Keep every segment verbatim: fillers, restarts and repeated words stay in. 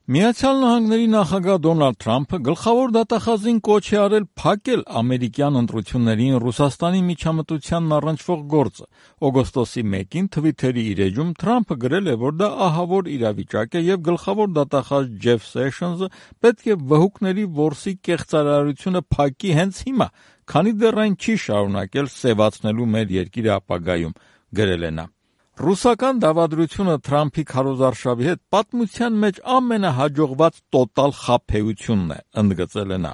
Միացյալ Նահանգների նախագահ Դոնալդ Թրամփը գլխավոր դատախազին կոչ է արել փակել ամերիկյան ընտրություններին Ռուսաստանի միջամտությանն առնչվող գործը։ Օգոստոսի մեկին Թվիթերի իր էջում Թրամփը գրել է, որ դա ահավոր իրավիճակ է և գլխավոր դատախազ Ջեֆ Սեշնսը պետք է վհուկների որսի կեղծարարությունը փակի հենց հիմա, քանի դեռ այն չի շարունակել սևացնելու մեր երկիրը ապագայում, գրել է նա։ Ռուսական դավադրությունը Թրամփի քարոզարշավի հետ պատմության մեջ ամենահաջողված տոտալ խաբեությունն է, ընդգծել է նա։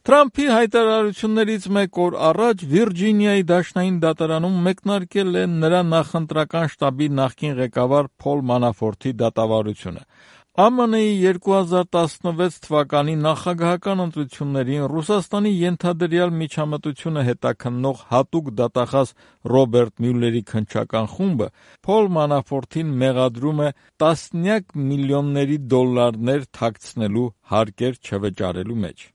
Թրամփի հայտարարություններից մեկ օր առաջ Վիրջինիայի դաշնային դատարանում մեկնարկել է նրա նախընտրական շտաբի նախկին ղեկավար Փոլ Մանաֆորթի դատավարությունը։ Ամը Է-ի երկու հազար տասնվեց թվականի նախագահական ընտրություններին Ռուսաստանի ենթադրյալ միջամտությունը հետաքննող հատուկ դատախազ Ռոբերտ Մյուլլերի քննչական խումբը Փոլ Մանաֆորթին մեղադրում է տասնյակ միլիոնների դոլարներ թաքցնելու հարկեր չվճարելու մեջ։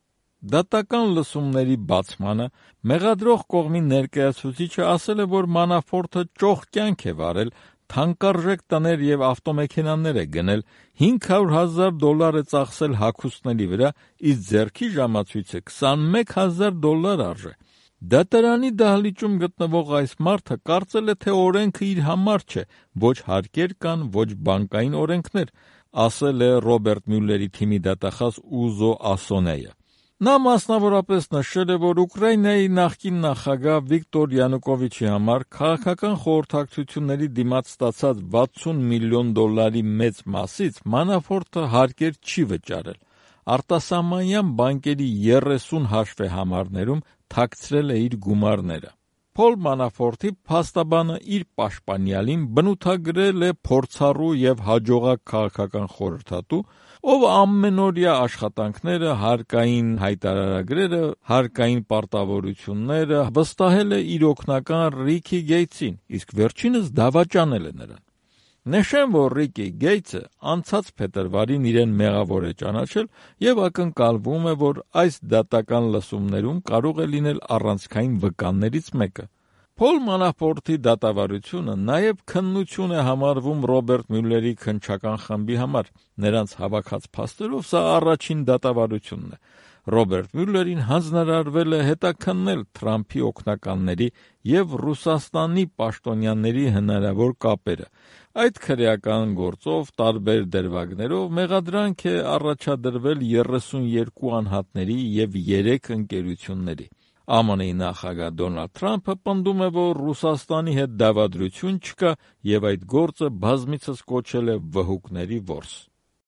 Դատական լսումների բացմանը մեղադրող կողմի ներկայացուցիչը ասել է, որ Մանաֆորթը ճոխ կյանք է վարել, թանկարժեք տներ և ավտոմեքենաներ է գնել, հինգ հարյուր հազար դոլար է ծախսել հագուստների վրա, իսկ ձեռքի ժամացույցը քսանմեկ հազար դոլար արժե։ Դատարանի դահլիճում գտնվող այս մարդը կարծել է, թե օրենքը իր համար չէ, ոչ հարկեր կան, ոչ բանկային օրենքներ, ասել է Ռոբերտ Մյուլլերի թիմի դատախազ Ուզո Ասոնեը։ Նա մասնավորապես նշել է, որ Ուկրաինայի նախկին նախագահ Վիկտոր Յանուկովիչի համար քաղաքական խորհրդակցությունների դիմաց ստացած վաթսուն միլիոն դոլարի մեծ մասից Մանաֆորթը հարկեր չի վճարել։ Արտասահմանյան բանկերի երեսուն հաշվեհամարներում թաքցրել է իր գումարները։ Փոլ Մանաֆորթի փաստաբանը իր պաշտպանյալին բնութագրել է փորձառու և հաջողակ քաղաքական խորհրդատու, ով ամենօրյա աշխատանքները, հարկային հայտարարագրերը, հարկային պարտավորությունները վստահել է իր օգնական Ռիքի Գեյթսին, իսկ վերջինս դավաճանել է նրան։ Նշեմ, որ Ռիքի Գեյթսը անցած փետրվարին իրեն մեղավոր է ճանաչել և ակնկալվում է, որ այս դատական լսումներում կարող է լինել առանցքային վկաններից մեկը։ Փոլ Մանաֆորթի դատավարությունը նաև քննություն է համարվում Ռոբերտ Մյուլլերի քննչական խմբի համար։ Նրանց հավաքած փաստերով սա առաջին դատավարությունն է։ Ռոբերտ Մյուլլերին հանձնարարվել է հետաքննել Թրամփի օգնականների և Ռուսաստանի պաշտոնյաների հնարավոր կապերը։ Այդ քրեական գործով, տարբեր դրվագներով մեղադրանք է առաջադրվել երեսունյոթ անհատների և երեք ընկերությունների։ Ամը Է-ի նախագահ Դոնալդ Թրամփը պնդում է, որ Ռուսաստանի հետ դավադրություն չկա և այդ գործը բազմիցս կոչել է վհուկների որս։